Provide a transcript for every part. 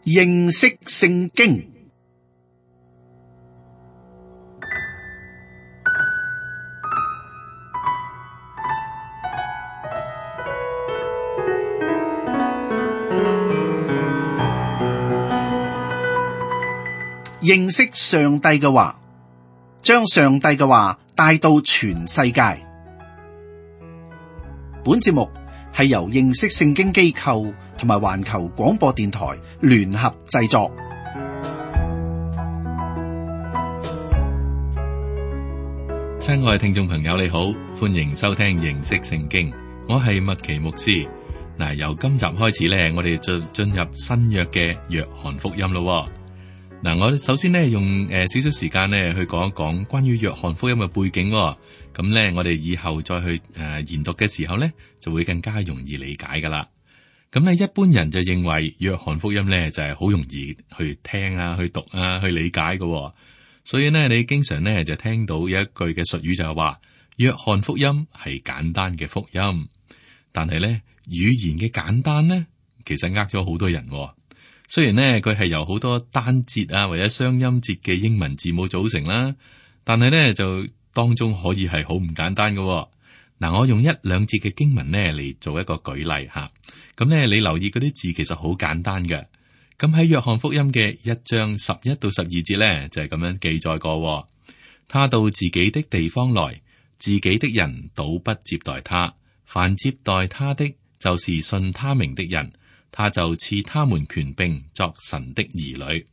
認識聖經。認識上帝嘅話，將上帝嘅話帶到全世界。本節目係由認識聖經機構同埋環球廣播電台聯合製作。親愛聽眾朋友，你好，歡迎收聽認識聖經，我係麥奇牧師。嗱，由今集開始咧，我哋就進入新約嘅約翰福音咯。嗱，我首先咧用少少時間咧去講一講關於約翰福音嘅背景。咁咧，我哋以後再去研讀嘅時候咧，就會更加容易理解噶啦。咁咧，一般人就認為約翰福音咧就係好容易去聽啊、去讀啊、去理解嘅。所以咧，你經常咧就聽到有一句嘅術語就係話，約翰福音係簡單嘅福音。但係咧，語言嘅簡單咧，其實呃咗好多人。雖然咧佢係由好多單節啊或者雙音節嘅英文字母組成啦，但係咧就當中可以係好唔簡單嘅。嗱，我用一兩節嘅經文咧嚟做一個舉例吓。咁咧，你留意嗰啲字其實好簡單嘅。咁喺約翰福音嘅1章11到12節咧就係咁樣記載過。他到自己的地方來，自己的人倒不接待他，凡接待他的，就是信他名的人。他就賜他們權柄作神的兒女。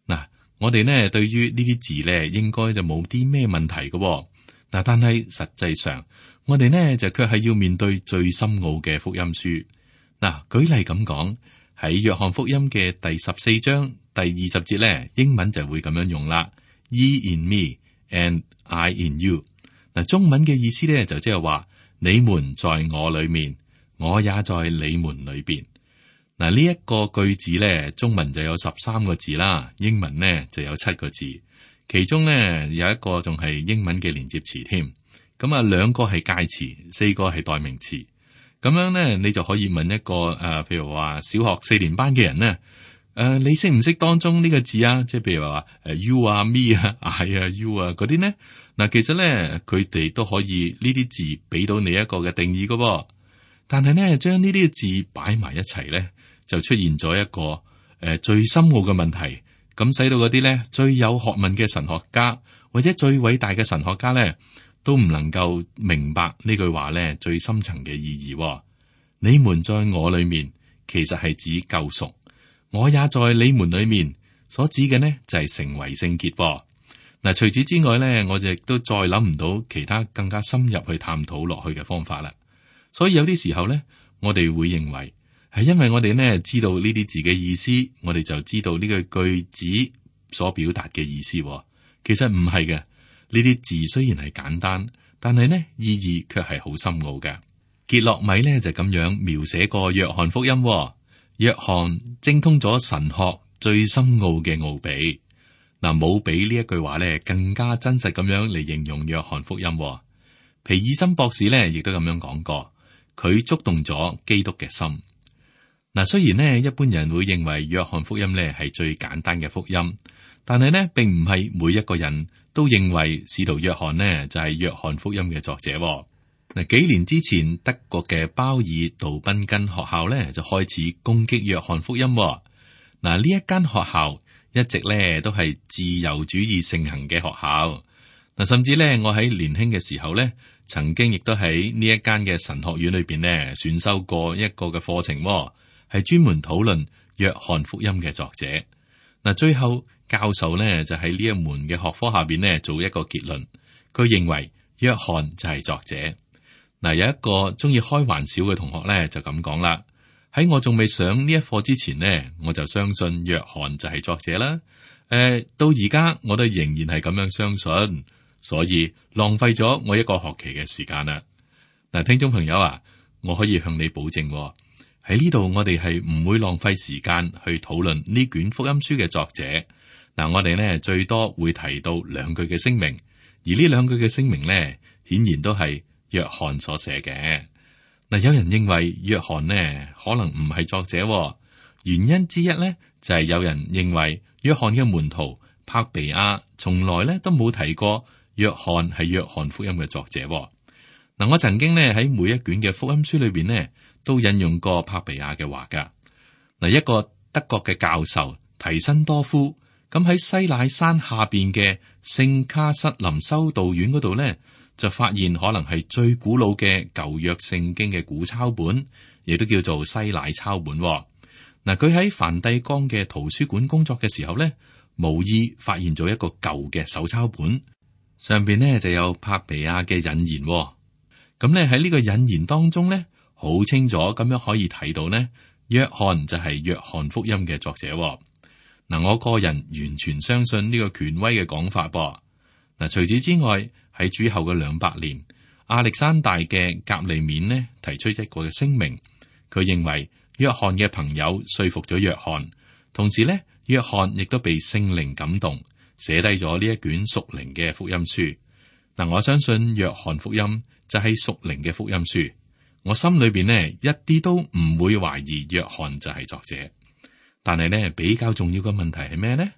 嗱，我哋呢對於呢啲字呢，應該就冇啲咩問題嘅。嗱，但係實際上，我哋呢就卻係要面對最深奧嘅福音書。嗱，舉例咁講，喺約翰福音嘅第14章第20節呢，英文就會咁樣用啦。Ye in me and I in you。嗱，中文嘅意思呢，就即係話，你們在我裏面，我也在你們裏邊。嗱，呢一個句子咧，中文就有13個字啦，英文呢就有7個字，其中呢有一個仲係英文嘅連接詞添。咁啊，2個係介詞，4個係代名詞。咁樣呢，你就可以問一個譬如話小學4年班嘅人呢，你識唔識當中呢個字啊？即係譬如話you 啊、me 啊、I 啊、you 啊嗰啲呢？嗱，其實咧佢哋都可以呢啲字俾到你一個嘅定義噶。但係呢，將呢啲字擺埋一齊咧，就出現咗一個最深奧嘅問題，咁使到嗰啲咧最有學問嘅神學家或者最偉大嘅神學家咧，都唔能夠明白呢句話咧最深層嘅意義。你們在我裏面，其實係指救贖，我也在你們裏面，所指嘅呢就係成為聖潔。嗱，除此之外咧，我就亦都再諗唔到其他更加深入去探討落去嘅方法啦。所以有啲時候咧，我哋會認為，係因為我哋呢知道呢啲字嘅意思，我哋就知道呢個句子所表達嘅意思。其實唔係嘅，呢啲字雖然係簡單，但係呢意義卻係好深奧嘅。傑洛米呢就咁樣描寫過約翰福音。約翰精通咗神學最深奧嘅奧秘。嗱，冇比呢一句話呢更加真實咁樣嚟形容約翰福音。皮爾森博士呢亦都咁樣講過，佢觸動咗基督嘅心。嗱，雖然呢一般人會認為約翰福音呢係最簡單嘅福音，但係呢並唔係每一個人都認為使徒約翰呢就係約翰福音嘅作者。嗱，幾年之前德國嘅鮑爾杜賓根學校呢就開始攻擊約翰福音。嗱，呢一間學校一直呢都係自由主義盛行嘅學校。嗱，甚至呢我喺年輕嘅時候呢，曾經亦都喺呢一間嘅神學院裏邊呢選修過一個嘅課程。係專門討論約翰福音嘅作者。嗱，最後教授呢就喺呢一門嘅學科下邊呢做一個結論，佢認為約翰就係作者。嗱，有一個中意開玩笑嘅同學呢就咁講啦，喺我仲未上呢一課之前呢，我就相信約翰就係作者啦。到而家我都仍然係咁樣相信，所以浪費咗我一個學期嘅時間啦。嗱，聽眾朋友啊，我可以向你保證，喺呢度我哋係唔會浪費時間去討論呢卷福音書嘅作者。嗱，我哋呢最多會提到2句嘅聲明，而呢2句嘅聲明呢，顯然都係約翰所寫嘅。嗱，有人認為約翰呢可能唔係作者。原因之一咧就係有人認為約翰嘅門徒柏比亞從來咧都冇提過約翰係約翰福音嘅作者。嗱，我曾經咧喺每一卷嘅福音書裏邊呢，都引用過柏比亞嘅話噶。嗱，一個德國嘅教授提辛多夫咁喺西乃山下邊嘅聖卡瑟林修道院嗰度呢，就發現可能係最古老嘅舊約聖經嘅古抄本，亦都叫做西乃抄本。嗱，佢喺梵蒂岡嘅圖書館工作嘅時候呢，無意發現咗一個舊嘅手抄本，上邊呢就有柏比亞嘅引言。咁呢喺呢個引言當中呢，好清楚咁樣可以睇到呢，約翰就係約翰福音嘅作者。嗱，我個人完全相信呢個權威嘅講法噃。嗱，除此之外，喺主後嘅200年，亞歷山大嘅革利免呢提出一個嘅聲明，佢認為約翰嘅朋友說服咗約翰，同時呢，約翰亦都被聖靈感動，寫低咗呢一卷屬靈嘅福音書。嗱，我相信約翰福音就係屬靈嘅福音書，我心裏邊呢一啲都唔會懷疑約翰就係作者。但係呢，比較重要嘅問題係咩呢？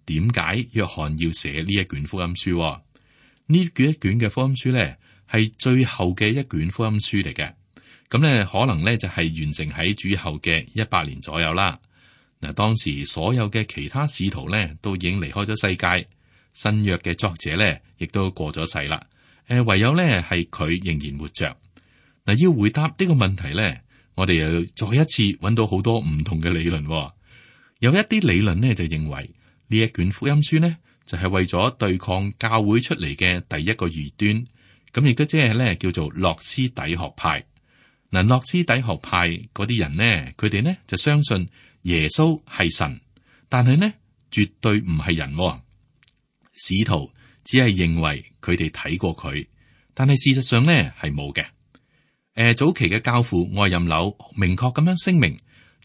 點解約翰要寫呢一卷福音書？呢一卷嘅福音書呢，係最後嘅一卷福音書嚟嘅。咁呢，可能呢就係完成喺主後嘅100年左右啦。嗱，當時所有嘅其他使徒呢，都已經離開咗世界，新約嘅作者呢，亦都過咗世啦。唯有呢係佢仍然活着。嗱，要回答呢個問題呢，我哋又要再一次揾到好多唔同嘅理論。有一啲理論呢就認為呢一卷福音書呢就係為咗對抗教會出嚟嘅第一個異端，咁亦都即係咧叫做諾斯底學派。嗱，諾斯底學派嗰啲人呢，佢哋呢就相信耶穌係神，但係呢絕對唔係人。使徒只係認為佢哋睇過佢，但係事實上呢係冇嘅。早期嘅教父愛任紐明確咁樣聲明，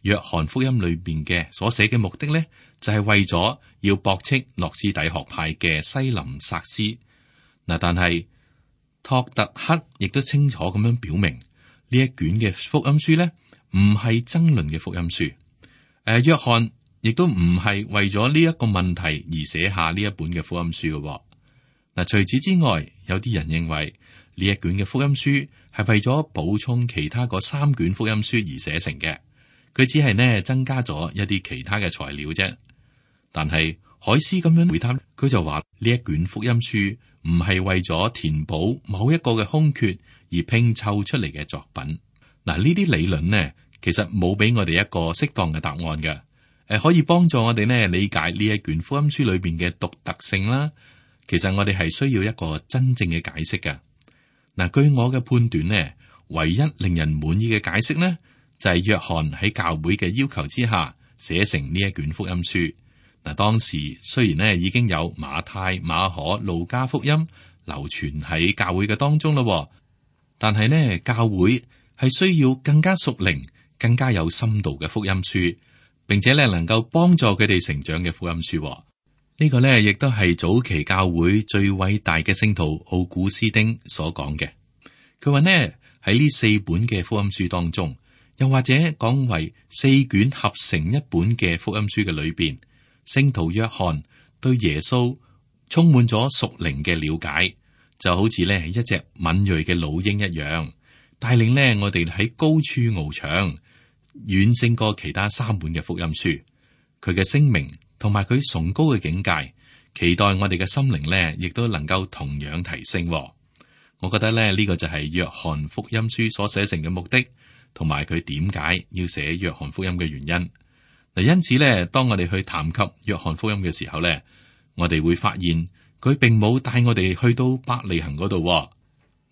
約翰福音裏邊嘅所寫嘅目的呢，就係為咗要駁斥諾斯底學派嘅西林薩斯。嗱，但係托特克亦都清楚咁樣表明，呢一卷嘅福音書呢，唔係爭論嘅福音書。約翰亦都唔係為咗呢一個問題而寫下呢一本嘅福音書嘅。嗱，除此之外，有啲人認為呢一卷嘅福音書係為咗補充其他嗰3卷福音書而寫成嘅。佢只係呢增加咗一啲其他嘅材料啫。但係海斯咁樣回答，佢就話呢一卷福音書唔係為咗填補某一個嘅空缺而拼湊出嚟嘅作品。嗱，呢啲理論呢，其實冇俾我哋一個適當嘅答案嘅。可以幫助我哋呢理解呢一卷福音書裏邊嘅獨特性啦。其實我哋係需要一個真正嘅解釋嘅。嗱，據我嘅判斷呢，唯一令人滿意嘅解釋呢，就係約翰喺教會嘅要求之下寫成呢一卷福音書。嗱，當時雖然呢已經有馬太、馬可、路加福音流傳喺教會嘅當中咯，但係呢教會係需要更加屬靈、更加有深度嘅福音書，並且呢能夠幫助佢哋成長嘅福音書。呢個呢亦都係早期教會最偉大嘅聖徒奧古斯丁所講嘅。佢話呢喺呢4本嘅福音書當中，又或者講為4卷合成一本嘅福音書嘅裏邊，聖徒約翰對耶穌充滿咗屬靈嘅了解，就好似呢一隻敏銳嘅老鷹一樣，帶領呢我哋喺高處翱翔，遠勝過其他3本嘅福音書。佢嘅聲明同埋佢崇高嘅境界，期待我哋嘅心靈呢亦都能夠同樣提升。我覺得呢個就係約翰福音書所寫成嘅目的，同埋佢點解要寫約翰福音嘅原因。嗱，因此呢，當我哋去談及約翰福音嘅時候呢，我哋會發現佢並冇帶我哋去到伯利恆嗰度。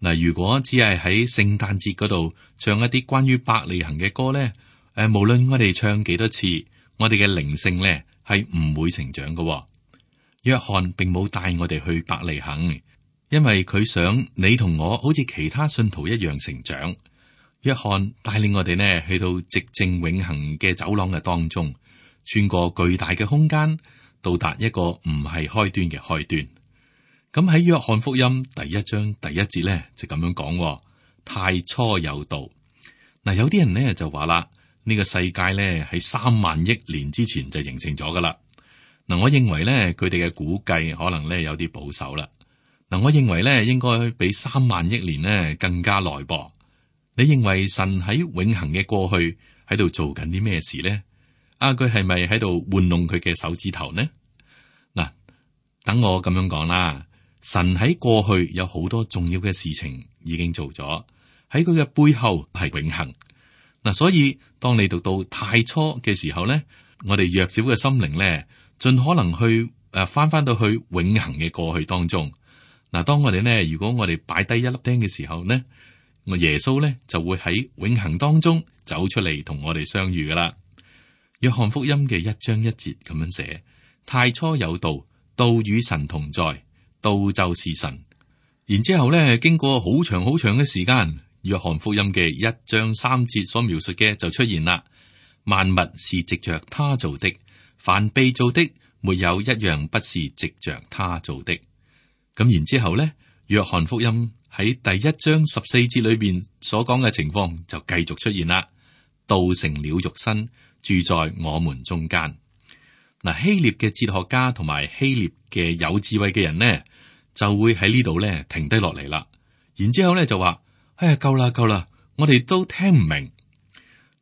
嗱，如果只係喺聖誕節嗰度唱一啲關於伯利恆嘅歌呢，無論我哋唱幾多次，我哋嘅靈性呢係唔會成長嘅。約翰並冇帶我哋去伯利恆，因為佢想你同我好似其他信徒一樣成長。約翰帶領我哋呢去到寂靜永恆嘅走廊嘅當中，穿過巨大嘅空間，到達一個唔係開端嘅開端。咁喺約翰福音第1章第1節呢就咁樣講：太初有道。嗱，有啲人呢就話啦，呢個世界咧喺3萬億年之前就形成咗噶啦。嗱，我認為咧佢哋嘅估計可能咧有啲保守啦。嗱，我認為咧應該比3萬億年咧更加耐噃。你認為神喺永恆嘅過去喺度做緊啲咩事呢？佢係咪喺度玩弄佢嘅手指頭呢？嗱，等我咁樣講啦。神喺過去有好多重要嘅事情已經做咗，喺佢嘅背後係永恆。嗱，所以當你讀到太初嘅時候咧，我哋弱小嘅心靈咧，盡可能去翻到去永恆嘅過去當中。嗱，當我哋咧，如果我哋擺低一粒釘嘅時候咧，我耶穌咧就會喺永恆當中走出嚟同我哋相遇噶啦。約翰福音嘅1章1節咁樣寫：太初有道，道與神同在，道就是神。然之後咧，經過好長好長嘅時間，約翰福音嘅1章3節所描述嘅就出現啦。萬物是藉着他造的，凡被造的，沒有一樣不是藉着他造的。咁然之後咧，約翰福音喺第1章14節裏邊所講嘅情況就繼續出現啦。道成了肉身，住在我們中間。嗱，希臘嘅哲學家同埋希臘嘅有智慧嘅人呢，就會喺呢度咧停低落嚟啦。然之後咧就話：哎呀，夠啦夠啦，我哋都聽唔明。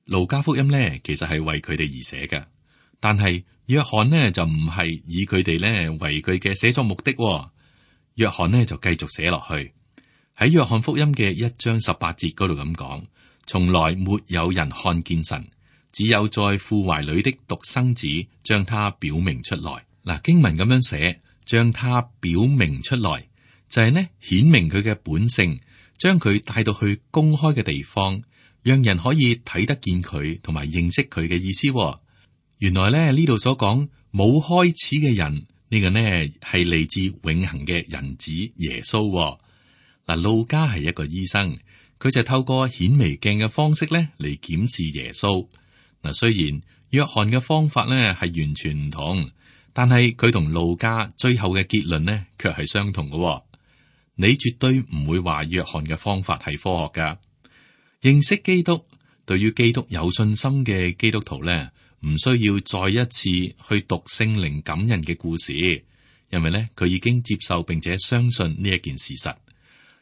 路加福音咧其實係為佢哋而寫嘅，但係約翰呢就唔係以佢哋咧為佢嘅寫作目的。約翰呢就繼續寫落去，喺約翰福音嘅1章18節嗰度咁講：從來沒有人看見神，只有在父懷裏的獨生子將他表明出來。嗱，經文咁樣寫，將他表明出來，就係呢顯明佢嘅本性，將佢帶到去公開嘅地方，讓人可以睇得見佢同埋認識佢嘅意思。原來咧呢度所講冇開始嘅人，呢個呢係嚟自永恆嘅人子耶穌。嗱，路加係一個醫生，佢就透過顯微鏡嘅方式咧嚟檢視耶穌。嗱，雖然約翰嘅方法咧係完全唔同，但係佢同路加最後嘅結論呢卻係相同嘅。你絕對唔會話約翰嘅方法係科學噶。認識基督，對於基督有信心嘅基督徒咧，唔需要再一次去讀聖靈感人嘅故事，因為咧佢已經接受並且相信呢一件事實。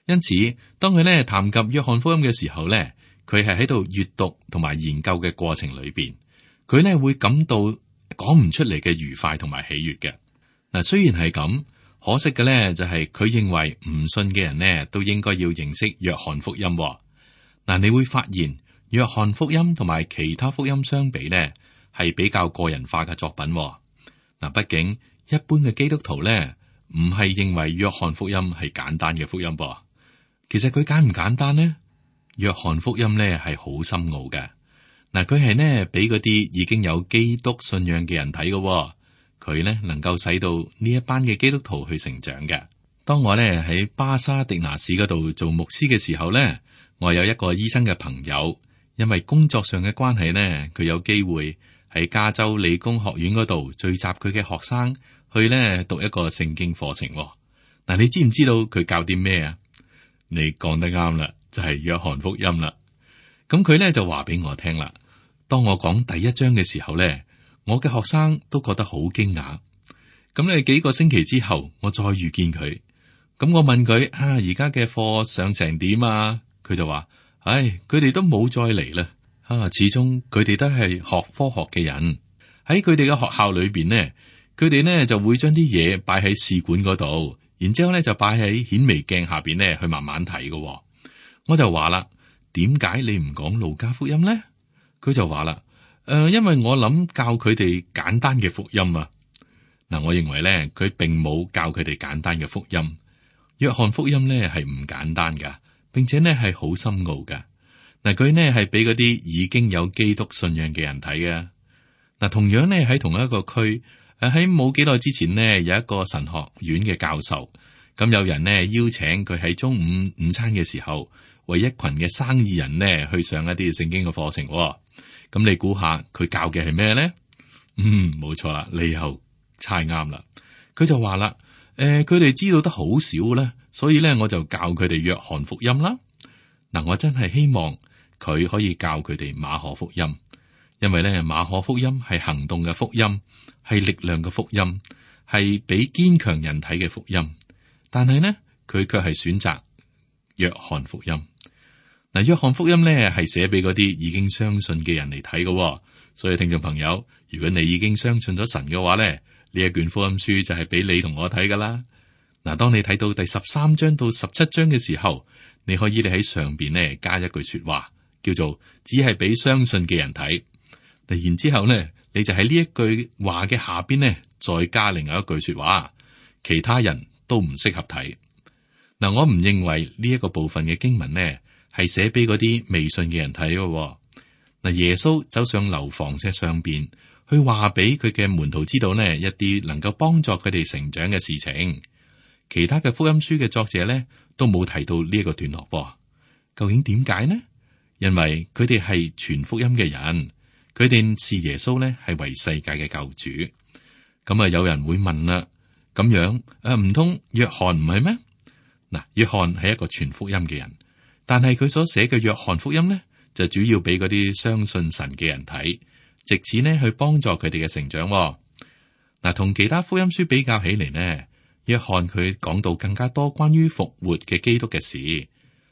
因此，當佢咧談及約翰福音嘅時候咧，佢係喺度閱讀同埋研究嘅過程裏邊，佢咧會感到講唔出嚟嘅愉快同埋喜悅嘅。嗱，雖然係咁，可惜嘅咧就係佢認為唔信嘅人呢都應該要認識約翰福音。嗱，你會發現約翰福音同埋其他福音相比呢係比較個人化嘅作品。嗱，畢竟一般嘅基督徒咧唔係認為約翰福音係簡單嘅福音噃。其實佢簡唔簡單呢？約翰福音咧係好深奧嘅。嗱，佢係呢俾嗰啲已經有基督信仰嘅人睇嘅。佢呢能夠使到呢一班嘅基督徒去成長嘅。當我咧喺巴沙迪拿市嗰度做牧師嘅時候咧，我有一個醫生嘅朋友，因為工作上嘅關係呢，佢有機會喺加州理工學院嗰度聚集佢嘅學生去呢讀一個聖經課程。嗱，你知唔知道佢教啲咩啊？你講得啱啦，就係約翰福音啦。咁佢咧就話俾我聽啦。當我講第1章嘅時候咧，我嘅學生都覺得好驚訝。咁咧幾個星期之後，我再遇見佢，咁我問佢而家嘅課上成點啊？佢就話：唉，佢哋都冇再嚟啦。始終佢哋都係學科學嘅人，喺佢哋嘅學校裏邊呢，佢哋呢就會將啲嘢擺喺試管嗰度。然之後咧就擺喺顯微鏡下邊咧去慢慢睇嘅。我就話啦，點解你唔講路加福音咧？佢就話啦，因為我諗教佢哋簡單嘅福音啊。嗱，我認為咧佢並冇教佢哋簡單嘅福音。約翰福音咧係唔簡單噶，並且咧係好深奧噶。嗱，佢呢係俾嗰啲已經有基督信仰嘅人睇嘅。嗱，同樣咧喺同一個區。喺冇幾耐之前呢，有一個神學院嘅教授，咁有人呢邀請佢喺中午午餐嘅時候，為一群嘅生意人呢去上一啲聖經嘅課程。咁你估下佢教嘅係咩呢？冇錯啦，你又猜啱啦。佢就話啦，佢哋知道得好少咧，所以咧我就教佢哋約翰福音啦。嗱，我真係希望佢可以教佢哋馬可福音。因為咧馬可福音係行動嘅福音，係力量嘅福音，係俾堅強人睇嘅福音。但係呢，佢卻係選擇約翰福音。嗱，約翰福音咧係寫俾嗰啲已經相信嘅人嚟睇嘅，所以聽眾朋友，如果你已經相信咗神嘅話咧，呢一卷福音書就係俾你同我睇噶啦。嗱，當你睇到第13章到17章嘅時候，你可以喺上邊咧加一句說話，叫做只係俾相信嘅人睇。然之後咧，你就喺呢一句話嘅下邊咧，再加另外一句說話，其他人都唔適合睇。嗱，我唔認為呢一個部分嘅經文呢係寫俾嗰啲未信嘅人睇嘅。嗱，耶穌走上樓房嘅上邊，去話俾佢嘅門徒知道呢一啲能夠幫助佢哋成長嘅事情。其他嘅福音書嘅作者呢都冇提到呢一個段落噃。究竟點解呢？因為佢哋係傳福音嘅人，佢哋視耶穌呢係為世界嘅救主。咁啊，有人會問啦，咁樣唔通約翰唔係咩？嗱，約翰係一個傳福音嘅人，但係佢所寫嘅約翰福音呢，就主要俾嗰啲相信神嘅人睇，藉此呢去幫助佢哋嘅成長。嗱，同其他福音書比較起嚟呢，約翰佢講到更加多關於復活嘅基督嘅事。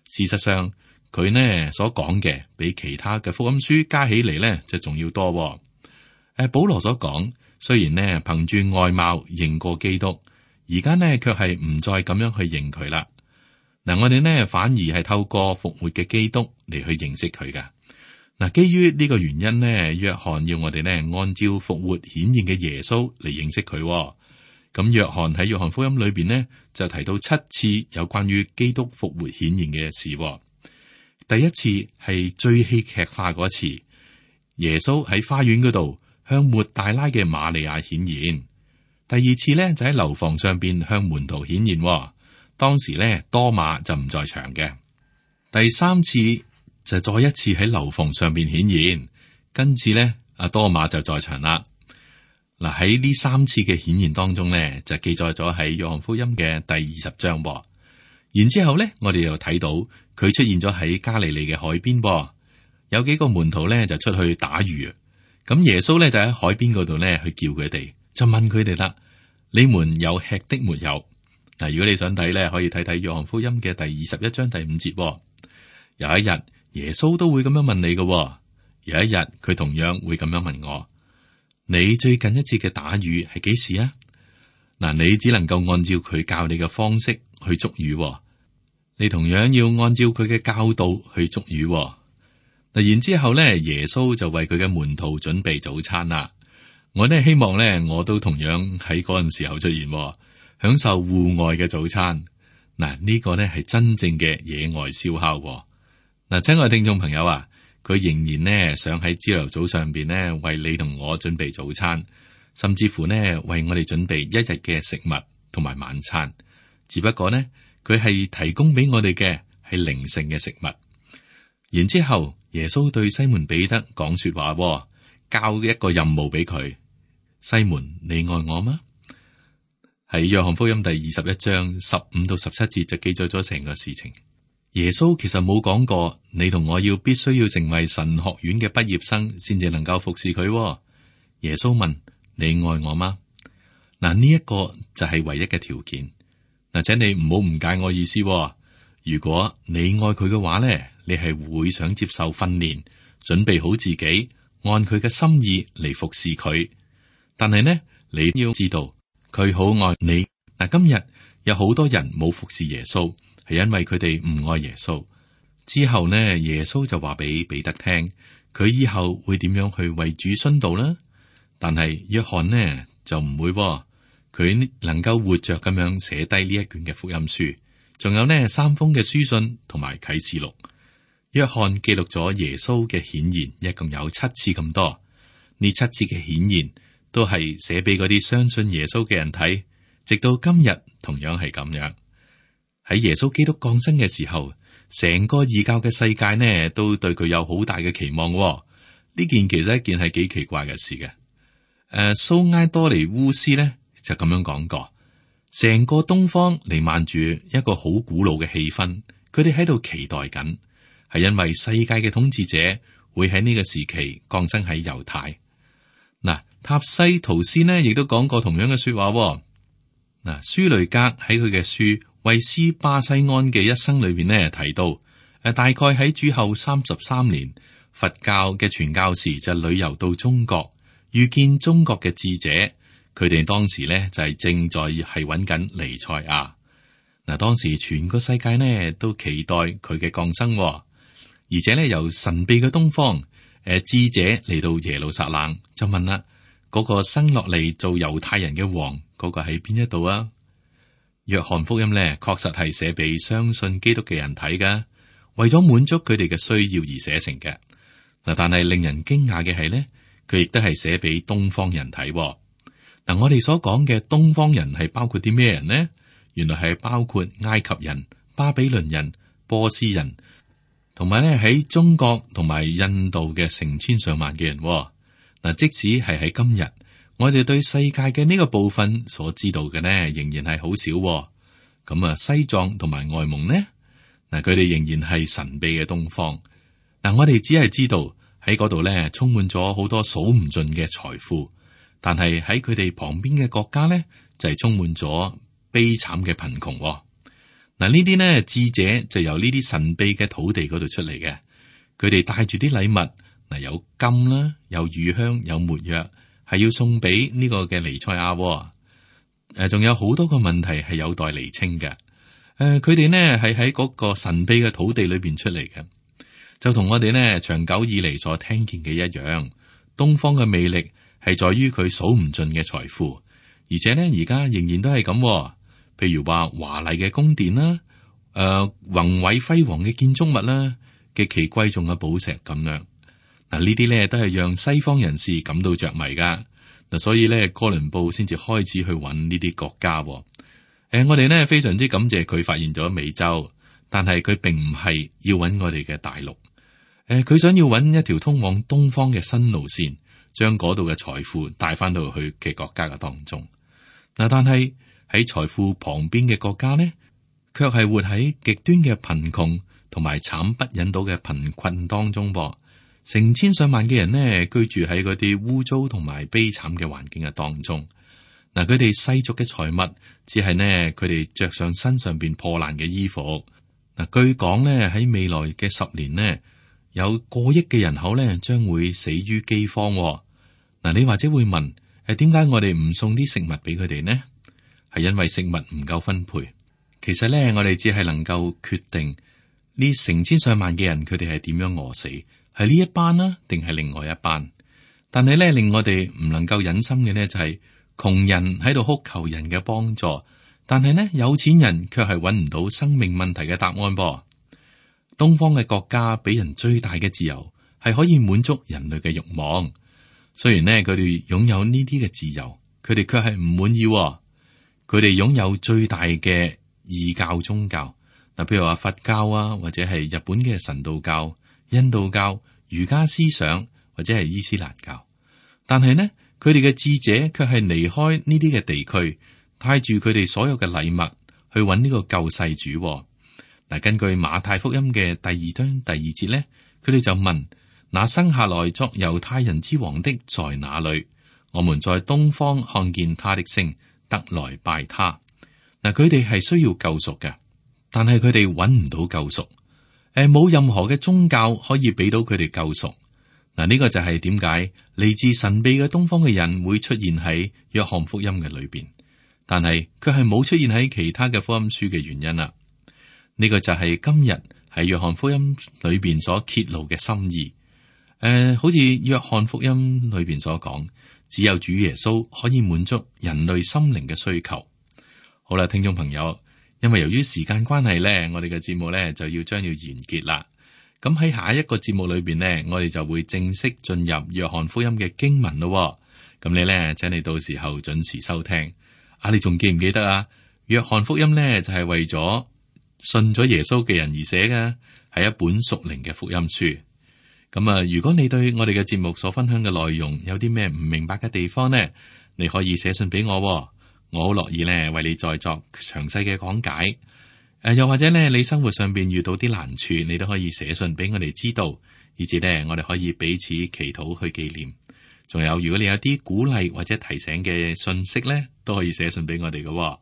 事實上，佢呢所講嘅比其他嘅福音書加起嚟呢就仲要多。保羅所講，雖然呢憑住外貌認過基督，而家呢卻係唔再咁樣去認佢啦。嗱，我哋呢反而係透過復活嘅基督嚟去認識佢噶。嗱，基於呢個原因呢，約翰要我哋呢按照復活顯現嘅耶穌嚟認識佢。咁約翰喺約翰福音裏邊呢就提到7次有關於基督復活顯現嘅事。第一次係最戲劇化嗰次，耶穌喺花園嗰度向抹大拉嘅瑪利亞顯現。第二次呢就喺樓房上邊向門徒顯現，當時呢多馬就唔在場嘅。第三次就再一次喺樓房上邊顯現，跟住呢阿多馬就在場啦。嗱，喺呢3次嘅顯現當中呢，就記載咗喺約翰福音嘅第20章。然之後呢，我哋又睇到佢出現咗喺加利利嘅海邊。有幾個門徒呢就出去打魚，咁耶穌呢就喺海邊嗰度呢去叫佢哋，就問佢哋啦：你們有吃的沒有？嗱，如果你想睇呢，可以睇睇約翰福音嘅第21章第5節。有一日耶穌都會咁樣問你嘅，有一日佢同樣會咁樣問我。你最近一次嘅打魚係幾時啊？嗱，你只能夠按照佢教你嘅方式去捉魚，你同樣要按照佢嘅教導去捉魚。嗱，然之後咧，耶穌就為佢嘅門徒準備早餐啦。我呢希望咧，我都同樣喺嗰陣時候出現，享受戶外嘅早餐。嗱，呢個呢係真正嘅野外燒烤。嗱，親愛聽眾朋友啊，佢仍然呢想喺朝頭早上邊呢為你同我準備早餐，甚至乎呢為我哋準備一日嘅食物同埋晚餐。只不過呢，佢係提供俾我哋嘅係靈性嘅食物。然之後耶穌對西門彼得講說話，交一個任務俾佢：西門，你愛我嗎？喺約翰福音第21章15到17節就記載咗成個事情。耶穌其實冇講過你同我必須要成為神學院嘅畢業生先至能夠服侍佢。耶穌問：你愛我嗎？嗱，呢一個就係唯一嘅條件。嗱，請你唔好誤解我意思。如果你愛佢嘅話咧，你係會想接受訓練，準備好自己，按佢嘅心意嚟服侍佢。但係呢，你要知道佢好愛你。嗱，今日有好多人冇服侍耶穌，係因為佢哋唔愛耶穌。之後呢，耶穌就話俾彼得聽，佢以後會點樣去為主殉道啦。但係約翰呢就唔會，佢能夠活着咁樣寫低呢一卷嘅福音書，仲有呢3封嘅書信同埋啟示錄。約翰記錄咗耶穌嘅顯現，一共有7次咁多。呢7次嘅顯現都係寫俾嗰啲相信耶穌嘅人睇，直到今日同樣係咁樣。喺耶穌基督降生嘅時候，成個異教嘅世界呢都對佢有好大嘅期望。呢件其實一件係幾奇怪嘅事嘅。蘇埃多尼烏斯呢就咁樣講過，成個東方彌漫住一個好古老嘅氣氛，佢哋喺度期待緊，係因為世界嘅統治者會喺呢個時期降生喺猶太。嗱，塔西圖斯呢亦都講過同樣嘅說話。嗱，舒雷格喺佢嘅書維斯巴西安嘅一生裏邊呢提到，大概喺主後33年，佛教嘅傳教士就旅遊到中國，遇見中國嘅智者，佢哋當時呢就係正在係揾緊彌賽亞。嗱，當時全個世界呢都期待佢嘅降生，而且呢由神秘嘅東方，智者嚟到耶路撒冷，就問啦：嗰個生落嚟做猶太人嘅王，嗰個喺邊一度啊？約翰福音呢確實係寫俾相信基督嘅人睇噶，為咗滿足佢哋嘅需要而寫成嘅。嗱，但係令人驚訝嘅係呢，佢亦都係寫俾東方人睇。嗱，我哋所講嘅東方人係包括啲咩人呢？原來係包括埃及人、巴比倫人、波斯人，同埋咧喺中國同埋印度嘅成千上萬嘅人。嗱，即使係喺今日，我哋對世界嘅呢個部分所知道嘅呢，仍然係好少。咁啊，西藏同埋外蒙呢？嗱，佢哋仍然係神秘嘅東方。嗱，我哋只係知道喺嗰度咧，充滿咗好多數唔盡嘅財富，但係喺佢哋旁邊嘅國家咧，就係充滿咗悲慘嘅貧窮。嗱，呢啲呢智者就由呢啲神秘嘅土地嗰度出嚟嘅，佢哋帶住啲禮物，嗱，有金啦，有乳香，有沒藥，係要送俾呢個嘅彌賽亞。仲有好多個問題係有待釐清嘅。佢哋呢係喺嗰個神秘嘅土地裏邊出嚟嘅，就同我哋呢長久以嚟所聽見嘅一樣。東方嘅魅力係在於佢數唔盡嘅財富，而且呢而家仍然都係咁。譬如話華麗嘅宮殿啦，宏偉輝煌嘅建築物啦，極其貴重嘅寶石咁樣。嗱，呢啲咧都係讓西方人士感到着迷噶。嗱，所以咧哥倫布先至開始去揾呢啲國家。我哋呢非常之感謝佢發現咗美洲，但係佢並唔係要揾我哋嘅大陸。佢想要揾一條通往東方嘅新路線，將嗰度嘅財富帶翻到去嘅國家嘅當中。嗱，但係喺財富旁邊嘅國家呢，卻係活喺極端嘅貧窮同埋慘不忍睹嘅貧困當中噃。成千上萬嘅人呢，居住喺嗰啲污糟同埋悲慘嘅環境嘅當中。嗱，佢哋世俗嘅財物，只係呢佢哋着上身上邊破爛嘅衣服。嗱，據講呢喺未來嘅10年呢，有過億嘅人口呢將會死於饑荒。嗱，你或者會問，點解我哋唔送啲食物俾佢哋呢？係因為食物唔夠分配。其實咧，我哋只係能夠決定呢成千上萬嘅人，佢哋係點樣餓死，係呢一班啦，定係另外一班？但係咧，令我哋唔能夠忍心嘅呢，就係窮人喺度哭求人嘅幫助，但係呢，有錢人卻係揾唔到生命問題嘅答案噃。東方嘅國家俾人最大嘅自由，係可以滿足人類嘅慾望。雖然呢，佢哋擁有呢啲嘅自由，佢哋卻係唔滿意。佢哋擁有最大嘅異教宗教，嗱，譬如話佛教啊，或者係日本嘅神道教、印度教、儒家思想，或者係伊斯蘭教。但係呢，佢哋嘅智者卻係離開呢啲嘅地區，帶住佢哋所有嘅禮物去揾呢個救世主。嗱，根據馬太福音嘅第2章第2節呢，佢哋就問：那生下來作猶太人之王的在哪裏？我們在東方看見他的星，得來拜他。嗱，佢哋係需要救贖嘅，但係佢哋揾唔到救贖。冇任何嘅宗教可以俾到佢哋救贖。嗱，呢個就係點解嚟自神秘嘅東方嘅人會出現喺約翰福音嘅裏邊，但係卻係冇出現喺其他嘅福音書嘅原因啦。呢個就係今日喺約翰福音裏邊所揭露嘅心意。好似約翰福音裏邊所講，只有主耶穌可以滿足人類心靈嘅需求。好啦，聽眾朋友，因為由於時間關係咧，我哋嘅節目咧就將要完結啦。咁喺下一個節目裏邊呢，我哋就會正式進入約翰福音嘅經文咯。咁你咧，請你到時候準時收聽。你仲記唔記得啊？約翰福音呢，就係為咗信咗耶穌嘅人而寫嘅，係一本屬靈嘅福音書。咁啊，如果你對我哋嘅節目所分享嘅內容有啲咩唔明白嘅地方呢，你可以寫信俾我，我好樂意呢為你再作詳細嘅講解。又或者呢，你生活上邊遇到啲難處，你都可以寫信俾我哋知道，以至呢，我哋可以彼此祈禱去紀念。仲有，如果你有啲鼓勵或者提醒嘅信息呢，都可以寫信俾我哋嘅。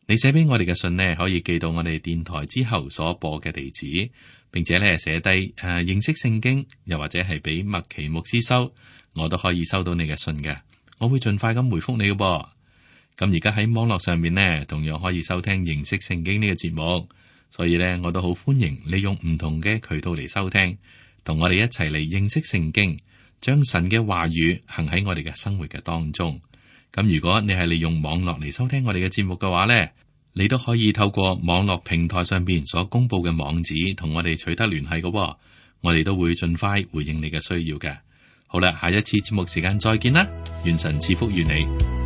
你寫俾我哋嘅信呢，可以寄到我哋電台之後所播嘅地址，並且呢寫低認識聖經，又或者係俾麥奇牧師收，我都可以收到你嘅信嘅。我會盡快咁回覆你嘅噃。咁而家喺網絡上面呢，同樣可以收聽認識聖經呢個節目，所以呢，我都好歡迎利用唔同嘅渠道嚟收聽，同我哋一齊嚟認識聖經，將神嘅話語行喺我哋嘅生活嘅當中。咁如果你係利用網絡嚟收聽我哋嘅節目嘅話呢，你都可以透過網絡平台上邊所公布嘅網址同我哋取得聯繫嘅，我哋都會盡快回應你嘅需要嘅。好啦，下一次節目時間再見啦，願神賜福於你。